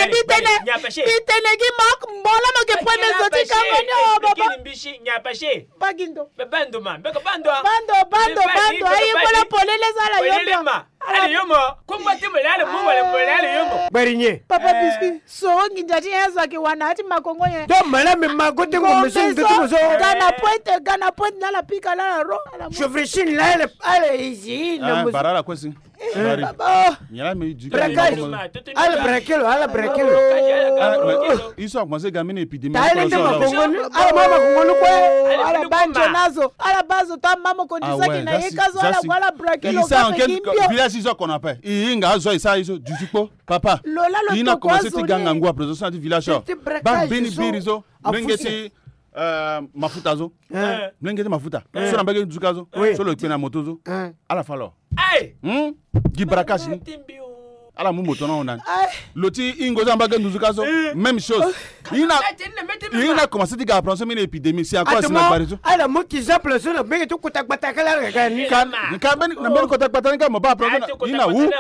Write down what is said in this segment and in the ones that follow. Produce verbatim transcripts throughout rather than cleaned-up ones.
Bitene, bitene gi mok mbola mo ke pue mezo ti kango ni o baba. Mbaki ndo. Bando, bando, bando. Aye kola polele zala yomo. Ala yomo. Kumba ti mole ala mu wala mole ala yomo. Bari nye. Papa biscuit. So nginza ti ye zo ake wana ati makongo ye. Do mala me mago te ko mezo ndo ti mezo. Gana pointe, gana pointe na la pika la ro. Je vréchine la ele ale izi na mezo. Bara la kwesi. Bari. Nyala me du. Braquage. Ala braquer lo, ala braquer lo. Iso a commencé ga mini épidémie. Ala mama kongoni kue. Ala banjo nazo. Ala bazo ta mama kondi saki na ye kazo ala wala braquer lo. Village iso kona pe. Inga azo isa iso du tipo. Papa. Ina commencé ti ganga ngua président ti village. Ba beni biri zo. Menge ti mafuta zo. Mlenge ti mafuta so na mbage ti duka zo. So lo kpe na moto zo. Ala fa lo. Gi braquage ni. Ala mu moto na hon nani. Lo ti ingo so na mbage ti duka zo. Même chose. Ina commencé ti ga apprendre so mini épidémie si encore si na bari zo. Ala mu ki exemple so na mbage ti kota gbata kala ala ga ni. Ka beni na mbage ti kota gbata ni ka mo ba apprendre ina wu.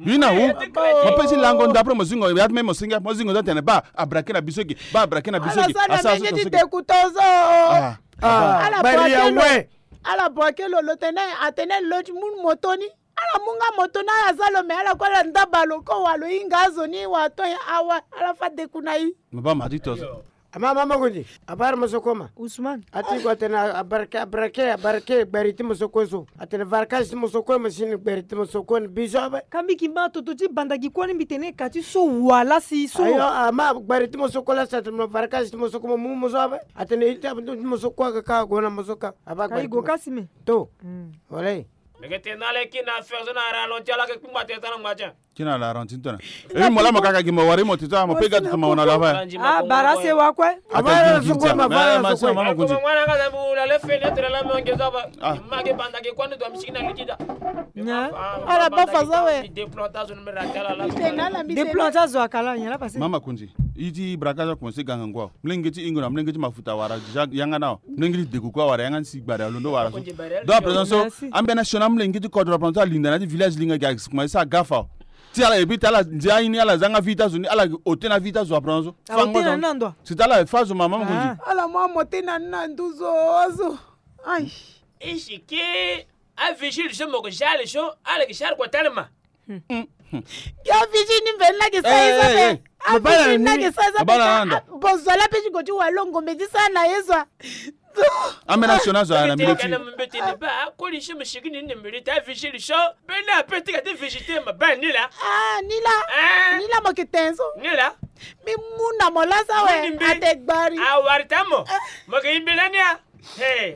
Ina wu. Mo pe ti lango ndapo mo zingo ya ti me mo singa mo zingo za tene ba abrake na biso gi. Ba abrake na biso gi. Asara so ti deku tozo. Ala bwake lo. Ala bwake lo lo tene atene lo ti mu moto ni. Ala mu nga moto ni ala za lo me ala kue ala ndaba lo ko wa lo hinga azo ni wa to ye awa ala fa deku na i. Mo ba ma ti tozo. Ama mama kundi. Abara mo so koma Usman. Ati ko atene abrake abrake abrake gbari ti mo so kue so. Atene varkage ti mo so kue mo si ni gbari ti mo so kue ni bizo abe. Kambi ki ma toto ti banda gi kue ni mbi tene ka ti so wala si so. Ayo ama gbari ti mo so kue la sa tene varkage ti mo so kue mo mu mo so abe. Atene ita ti mo so kue ka ka go na mo so ka. Aba gbari ti mo. Kasi me. To. Wala. Meke tene na le ki na affaire so na ralenti ala ke kpingba tene tana ngba tien. Kina la ranti ntona. E mo la mo kaka gi mo wari mo tita mo pe ga tuma wana la fa. Ah bara se wa kwe. Ata gi gi tia. Ma ma se ma ma kunzi. Ala ba fa za we. Déplantage zo akala nya la passé. Mama kunzi. Iti braka za commencé ganga ngwa. Mlenge ti ingo na mlenge ti mafuta wara déjà yanga na. Mlenge ti degu kue wara yanga ni si gbare alondo wara so. Donc à présent so ambeni asioni amolenge ti kodro apanza alinda na ya ti village linga gi akisi kuma ti sara gafa. Ti ala ebi ti ala ndia aini ala za nga vie ti azo ni ala ote na vie ti azo apanza so. Fango so si ti ala fa zo mama mo kondi. Ala mu amote na ni na nduzu azo. Ai. Isi ke avigile so mo ke sara so ala ke sara kua talema. Yo vigi ni mbe ni lage sa ye so abe. Avigi ni lage sa ye so abe. Bozola pe ti go ti wa lo ngombe ti sara na ye so. Ambeni asioni azo na mbeti. Mbeti ni ba akoli so mo sigi ni ni mbeti ti avigi li so. Mbeni ape ti ga ti vigi te ma ba ni la. Ah ni la. Ni la mo ke ten so. Ni la. Mbi mu na mo lasa awe ate gbari. Awari ti amo. Mo ke yimbi lani a.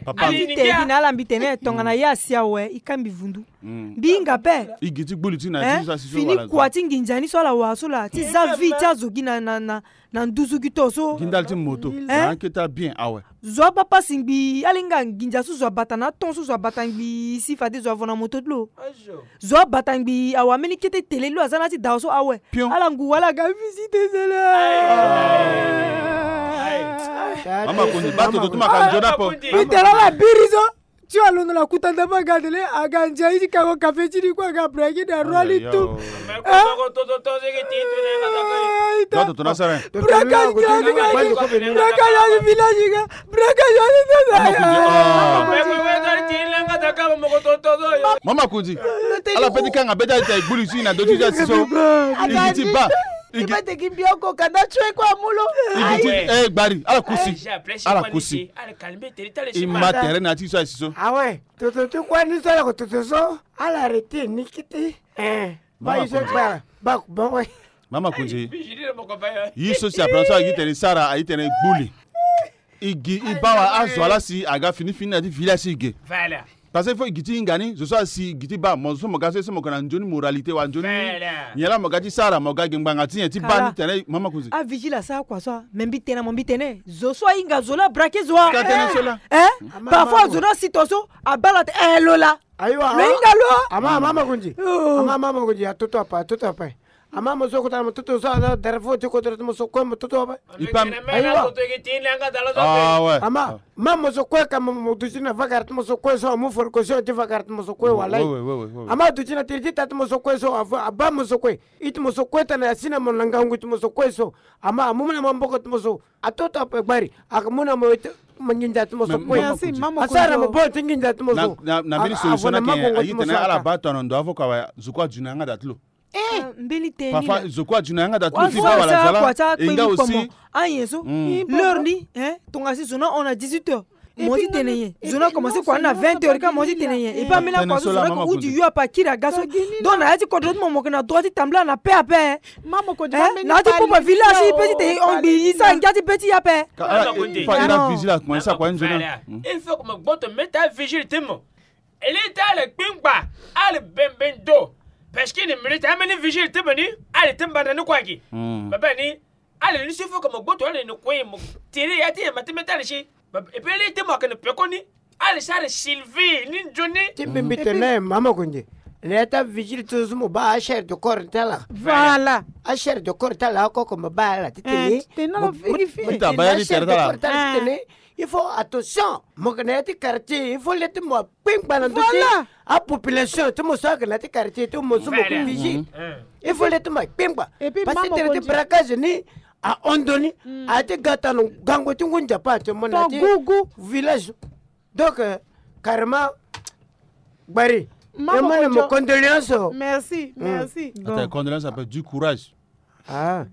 Papa mbi te gi na ala mbi tene tongana ye asi awe i ka mbi vundu. Mbi hinga ape. I gi ti gbuli ti na ti sa si so fini kua ti nginza ni so ala wara so laa ti za vie ti azo gi na na na nduzu gi to so. Gi ndali ti moto na aketa bien awe. Zo abaa pasi ngbii ala hinga nginza so zo abata na aton so zo abata ngbii si fade zo avo na moto ti lo. Zo abata ngbii awe ambeni kete tele ti lo aza na ya ti dawa so awe. Ala ngu wala aga visite zele. Mama kundi ba toto ti maka nzoni apo. Itela ala biri so. Ti alondo na kuta ndambe aga tele aga nzai ti kango kafe ti ni kue aga braki na roi li tu. Braka nzai aga braka nzai village aga. Braka nzai. Mama kundi. Ala pe ti kanga be ti ita e gbuli ti na do ti ja si so. Igi ti ba. Igi ti ba. Igi ti e gbari ala kusi. Ala kusi. I ma tere na ti so asi so. Awe toto ti kue ni so ala ko toto so. Ala arrêter ni kete. Eh. Ba i so gbara. Ba ko ba we. Mama kundi. Yi so si apranso agi tene sara ayi tene gbuli. I gi i baa wa azo ala si aga fini fini na ti village si i ge. Parce que fo i gi ti hinga ni zo so asi i gi ti baa mo zo so mo ga so ye so mo ga na nzoni moralité wa nzoni. Nyen laa mo ga ti sara mo ga gi ngbanga ti nyen ti baa ni tene mama kundi. Avigile asara kua so a me mbi tene na mo mbi tene zo so ahinga zo laa brake zo a. Ka tene so laa. Parfois zo ni asi to so abaa laa te eh lo laa. Ayiwa lo hinga lo. Ama ama ama kundi. Ama ama ama kundi atoto ape atoto ape. Ama mo so kota na mo toto so ala dara fo ti kodro ti mo so kue mo toto ape. Ipa. Ayiwa. Ah ouais. Ama ma mo so kue ka mo duti na vakara ti mo so kue so amu forkosio ti vakara ti mo so kue walai. Ama duti na tiri ti ta ti mo so kue so aba mo so kue. I ti mo so kue tana ya si na mo na ngangu ti mo so kue so. Ama amu na maboko ti mo so. Atoto ape gbari aka mu na mo. Manginza ti mo so kue. Asara mo bo ti nginza ti mo so. Na mbeni solution na ke ayi tene ala ba to na ndo avoka wa zuku aju na yanga da ti lo. Eh, mbeli tene. Papa, zo kua dina yanga da tu ti ba wala zala. Enga aussi. Ayen so. L'heure ni, hein, tonga si zo na on à dix-huit heures. Mo ti tene ye. Zo na commencé kua na vingt heures ka mo ti tene ye. Et puis amena kua so zo na ko uti yo apa kiri aga so. Donc na ya ti kodro ti mo mo ke na droit ti tambula na pe ape. Mama ko di na ti popo village ti pe ti tene on gbi isa ngia ti pe ti ya pe. Fa ira vigile à commencer à quoi nzona. Il faut que mo gboto meta vigile ti mo. Eli ti ala kpingba, ala bembe ndo. Parce que ni minute ameni vigile ti mo ni, ala ti mbanda ni kua gi. Baba ni, ala ni si fo ka mo gboto ala ni kue mo tiri ya ti yamba ti meta ala si. Et puis eli ti mo aka ni peko ni, ala si ala Sylvie ni nzoni. Ti mbimbi tene mama konje. Ni ya ta vigile ti zo mo ba a chair de corps ti ala. Voilà. A chair de corps ti ala oko ko mo ba ala ti tene. Tene ala vérifier. Mo ta ba ya ti tere ti ala. Il faut attention. Mo ke na ya ti quartier, il faut le ti mo kpengba na ndö ti apopulation ti mo so ake na ya ti quartier ti mo so mo ke fiji. Il faut le ti mo kpengba. Parce que tere ti braquage ni ahon ndo ni. Aye ti ga tano gango ti ngu nzapa actuellement na ya ti village. Donc, carrément, gbari. Mama, mo condoléance. Merci, merci. Attends, condoléance, après du courage. Ah.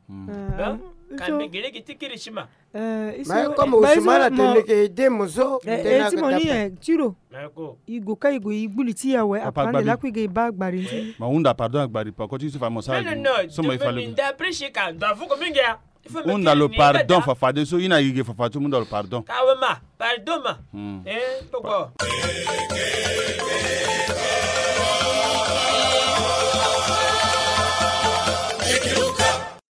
Ka mbi gi lege ti kiri sima. Mais comme Ousmane atene ke aide mo so, ti mo ni, tiro. I go ka i go i gbuli ti ya we, apa ande lakui ge i ba gbari nti. Ma hunda pardon gbari pa ko ti so fa mo sa. So mo i fa le. Nda prisi ka ndo avuko mingi ya. Hunda lo pardon fafa de so i na i ge fafa ti hunda lo pardon. Ka we ma, pardon ma. Eh, poko.